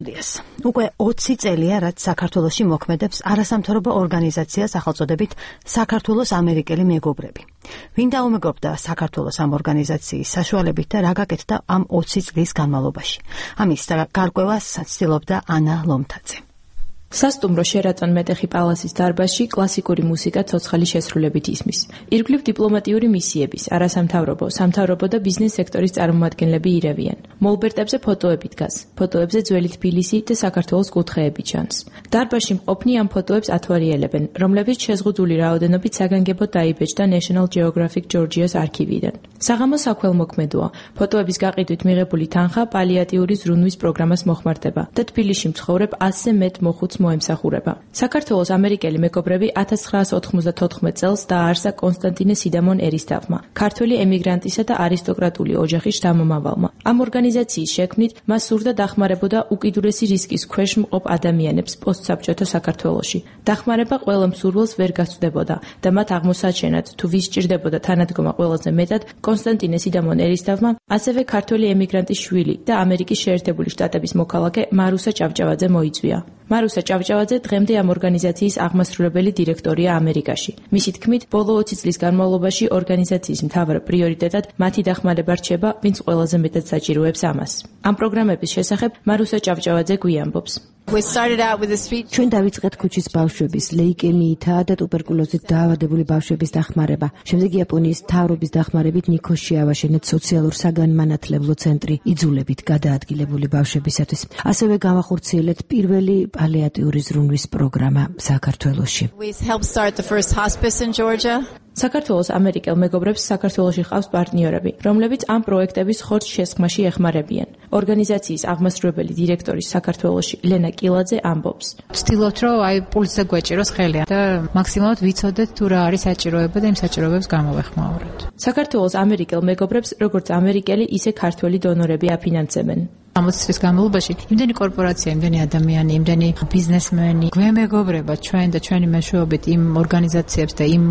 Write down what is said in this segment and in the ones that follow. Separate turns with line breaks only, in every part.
სტუდიას. უკვე 20 წელია, რაც საქართველოში მოქმედებს არასამთავრობო ორგანიზაცია სახელწოდებით საქართველოს ამერიკელი მეგობრები. ვინ დაუმეგობრდა საქართველოს ამ ორგანიზაციის საშუალებით და რა გაკეთდა ამ 20 წლის განმავლობაში? ამის გარკვევას ცდილობდა ანა ლომთაძე.
სასტუმრო შერატონ მეტეხი პალასის დარბაზში კლასიკური მუსიკა ცოცხალი შესრულებით ისმის. ირგვლივ დიპლომატიური მისიების, არასამთავრობო, სამთავრობო და ბიზნეს სექტორის წარმომადგენლები ირევიან. მოლბერტებზე ფოტოები დგას. ფოტოებზე ძველი თბილისი და საქართველოს კუთხეები ჩანს. დარბაზში მყოფნი ამ ფოტოებს ათვალიერებენ, რომლებიც შეზღუდული რაოდენობით საგანგებოდ დაიბეჭდა National Geographic Georgia's არქივიდან. საღამო საქველმოქმედოა. ფოტოების გაყიდვით მიღებული თანხა პალიატიური ზრუნვის პროგრამას მოხმარდება და თბილისში მცხოვრებ 100-ზე მეტ მოხუცს მოემსახურება. საქართველოს ამერიკელი მეგობრები 1994 წელს დააარსა კონსტანტინე სიდამონ ერისთავმა, ქართველი ემიგრანტისა და არისტოკრატული ოჯახის შთამომავალმა. ამ ორგანიზაციის შექმნით მას სურდა დახმარებოდა უკიდურესი რისკის ქვეშ მყოფ ადამიანებს პოსტსაბჭოთა საქართველოში. დახმარება ყველა მსურველს ვერ გასწდებოდა და მათ აღმოსაჩენად თუ ვის სჭირდებოდა თანადგომა ყველაზე მეტად კონსტანტინე სიდამონ ერისთავმა, ასევე ქართველი ემიგრანტის შვილი და ამერიკის შეერთებული შტატების მოქალაქე მარუსა ჭავჭავაძე მოიწვია. მარუსა ჭავჭავაძე დღემდე ამ ორგანიზაციის აღმასრულებელი დირექტორია ამერიკაში. მისი თქმით, ბოლო 20 წლის განმავლობაში ორგანიზაციის მთავარ პრიორიტეტად მათი დახმარება რჩება, ვინც ყველაზე მეტად საჭიროებს ამას. ამ პროგრამების შესახებ მარუსა ჭავჭავაძე გვიამბობს.
ჩვენ დავიწყეთ ქუჩის ბავშვების ლეიკემიითა და ტუბერკულოზით დაავადებული ბავშვების დახმარება. შემდეგ იაპონიის მთავრობის დახმარებით ნიქოში ავაშენეთ სოციალურ-საგანმანათლებლო ცენტრი იძულებით გადაადგილებული ბავშვებისათვის. ასევე გავახორციელეთ პირველი პალიატიური ზრუნვის პროგრამა საქართველოში.
საქართველოს ამერიკელ მეგობრებს საქართველოში ჰყავს პარტნიორები, რომლებიც ამ პროექტების ხორცს შესხმაში ეხმარებიან. ორგანიზაციის აღმასრულებელი დირექტორის საქართველოში ლენა კილაძე ამბობს.
ვცდილობთ, რომ პულსზე გვეჭიროს ხელი და მაქსიმალურად ვიცოდეთ თუ რა არის საჭიროება და იმ საჭიროებებს გამოვეხმაუროთ.
საქართველოს ამერიკელ მეგობრებს როგორც ამერიკელი, ისე ქართველი დონორები აფინანსებენ.
60 წლის განმავლობაში იმდენი კორპორაცია, იმდენი ადამიანი, იმდენი ბიზნესმენი გვემეგობრება ჩვენ და ჩვენი მეშვეობით იმ ორგანიზაციებს და იმ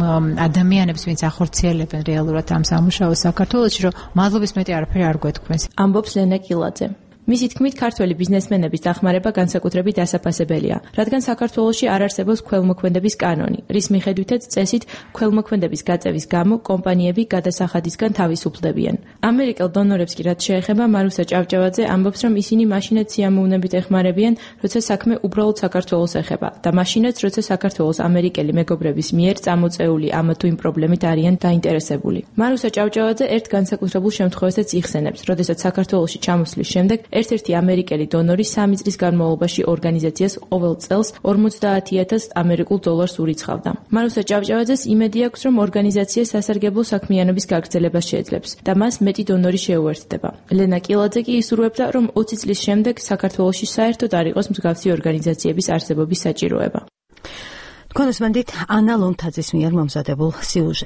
ადამიანებს, ვინც ახორციელებენ რეალურად ამ სამუშაოს საქართველოში, რომ მადლობის მეტი არაფერი არ გვეთქვეს.
ამბობს ლენა კილაძე. მისი თქმით, ქართველი ბიზნესმენების დახმარება განსაკუთრებით დასაფასებელია, რადგან საქართველოში არ არსებობს ქველმოქმედების კანონი, რის მიხედვითაც წესით ქველმოქმედების გაწევის გამო კომპანიები გადასახადისგან თავისუფლდებიან. ამერიკელ დონორებს კი რაც შეეხება, მარუსა ჭავჭავაძე ამბობს, რომ ისინი მაშინაც სიამოვნებით ეხმარებიან, როცა საქმე უბრალოდ საქართველოს ეხება და მაშინაც, როცა საქართველოს ამერიკელი მეგობრების მიერ წამოწეული ამა თუ იმ პრობლემით არიან დაინტერესებული. მარუსა ჭავჭავაძე ერთ განსაკუთრებულ შემთხვევასაც იხსენებს, როდესაც საქართველოში ჩამოსვლის შემდეგ ერთ-ერთი ამერიკელი დონორი 3 წლის განმავლობაში ორგანიზაციას ყოველ წელს 50,000 ამერიკულ დოლარს ურიცხავდა. მარუსა ჭავჭავაძეს იმედი აქვს, რომ ორგანიზაცია სასარგებლო საქმიანობის გაგრძელებას შეძლებს და მას მეტი დონორი შეუერთდება. ლენა კილაძე კი ისურვებდა, რომ 20 წლის შემდეგ საქართველოში საერთოდ არ იყოს მსგავსი ორგანიზაციების არსებობის საჭიროება.
კონსტანტინე ანა ლომთაძის მიერ მომზადებულ სიუჟეტს